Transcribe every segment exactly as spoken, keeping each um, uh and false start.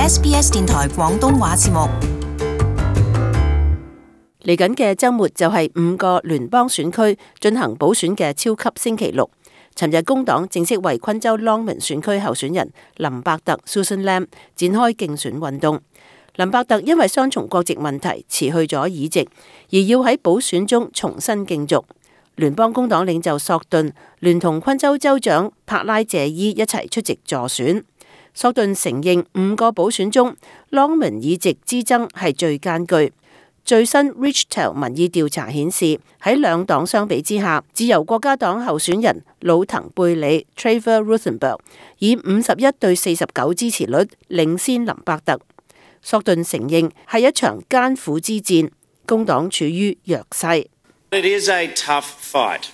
S B S 電台廣東話節目。嚟緊嘅週末就係五個聯邦選區進行補選嘅超級星期六。尋日工黨正式為昆州 Longman 選區候選人林伯特 Susan Lam 展開競選運動。林伯特因為雙重國籍問題辭去咗議席，而要喺補選中重新競逐。聯邦工黨領袖索頓聯同昆州州長帕拉謝伊一齊出席助選。索頓承認五個補選中 Longman 議席之爭係最艱巨。最新 Richtel 民意調查顯示，喺兩黨相比之下，自由國家黨候選人魯騰貝里 Trevor Ruthenberg 以五十一對四十九支持率領先林伯特。索頓承認係一場艱苦之戰，工黨處於弱勢。It is a tough fight.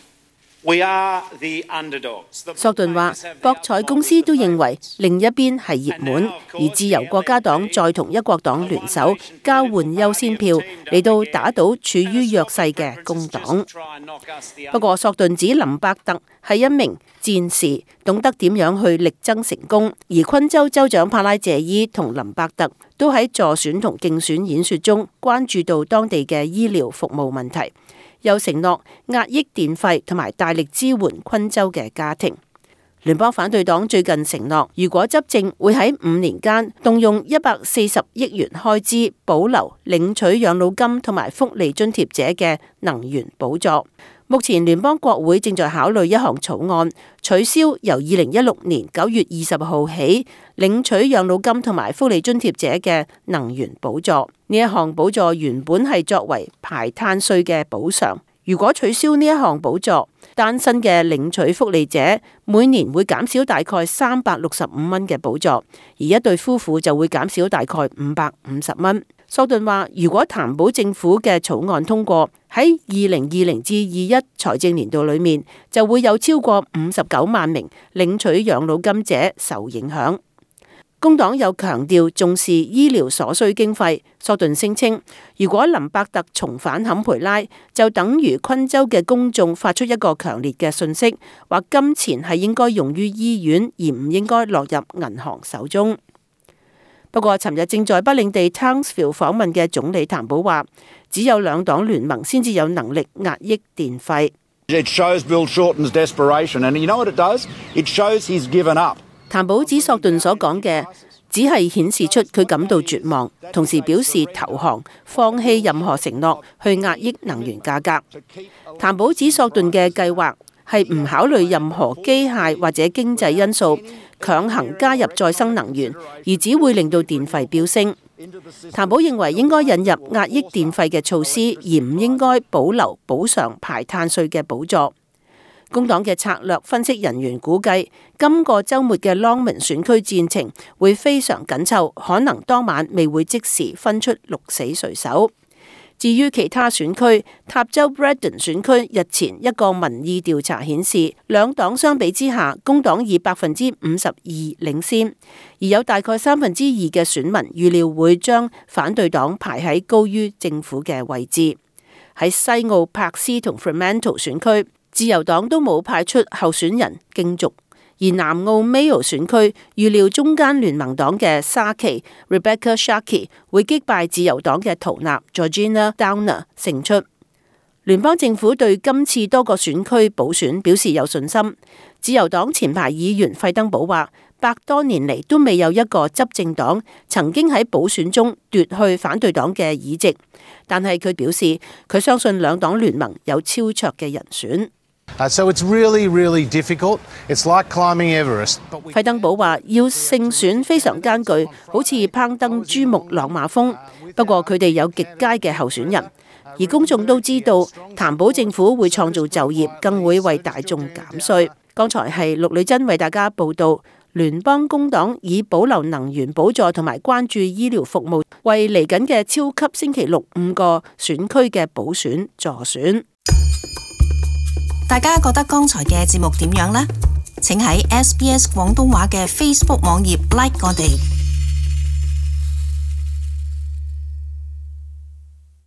We are the underdogs. 索頓話，博彩公司都認為另一邊係熱門，而自由國家黨再同一國黨聯手交換優先票嚟到打倒處於弱勢嘅工黨。不過，索頓指林伯特係一名戰士，懂得點樣去力爭成功。而昆州州長帕拉謝伊同林伯特都喺助選同競選演說中關注到當地嘅醫療服務問題。又承諾壓抑電費同埋大力支援昆州嘅家庭。聯邦反對黨最近承諾，如果執政會喺五年間動用一百四十億元開支保留領取養老金同埋福利津貼者嘅能源補助。目前聯邦國會正在考慮一項草案，取消由二零一六年九月二十號起領取養老金同埋福利津貼者嘅能源補助。呢一項補助原本係作為排碳稅嘅補償，如果取消呢一項補助，單身嘅領取福利者每年會減少大概三百六十五蚊嘅補助，而一對夫婦就會減少大概五百五十蚊。索頓話，如果談保政府嘅草案通過，喺二零二零至二一財政年度裏面，就會有超過五十九萬名領取養老金者受影響。工黨又強調重視醫療所需經費。索頓聲稱，如果林伯特重返坎培拉，就等於昆州嘅公眾發出一個強烈嘅訊息，話金錢係應該用於醫院，而唔應該落入銀行手中。不過，尋日正在北領地 Townsville 訪問嘅總理譚寶話，只有兩黨聯盟先至有能力壓抑電費。It shows Bill Shorten's desperation, and you know what it does? It shows he's given up. 譚寶指索頓所講嘅只係顯示出佢感到絕望，同時表示投降，放棄任何承諾去壓抑能源價格。譚寶指索頓嘅計劃係唔考慮任何機械或者經濟因素，強行加入再生能源，而只會令到電費飆升。譚寶認為應該引入壓抑電費嘅措施，而唔應該保留補償排碳稅嘅補助。工黨嘅策略分析人員估計，今個週末嘅 Longman 選區戰情會非常緊湊，可能當晚未會即時分出鹿死誰手。至於其他選區，塔州 Braddon 選區日前一個民意調查顯示，兩黨相比之下，工黨以百分之五十二領先，而有大概三分之二嘅選民預料會將反對黨排喺高於政府嘅位置。喺西澳柏斯同 Fremantle 選區，自由黨都冇派出候選人競逐，而南澳 Mayo 選區預料中間聯盟黨嘅沙奇 Rebecca Sharkey 會擊敗自由黨嘅圖納 Georgina Downer 勝出。聯邦政府對今次多個選區補選表示有信心。自由黨前排議員費登堡話，百多年嚟都未有一個執政黨曾經喺補選中奪去反對黨嘅議席，但係佢表示佢相信兩黨聯盟有超卓嘅人選。Uh, so it's really, really difficult. It's like climbing Everest. 費登堡話要勝選非常艱巨，好似攀登珠穆朗瑪峰。不過佢哋有極佳嘅候選人，而公眾都知道譚寶政府會創造就業，更會為大眾減稅。剛才係陸女珍為大家報道，聯邦工黨以保留能源補助同埋關注醫療服務，為嚟緊嘅超級星期六五個選區嘅補選助選。大家覺得剛才嘅節目點樣呢？請喺 S B S 廣東話嘅 Facebook 網頁 like 我哋。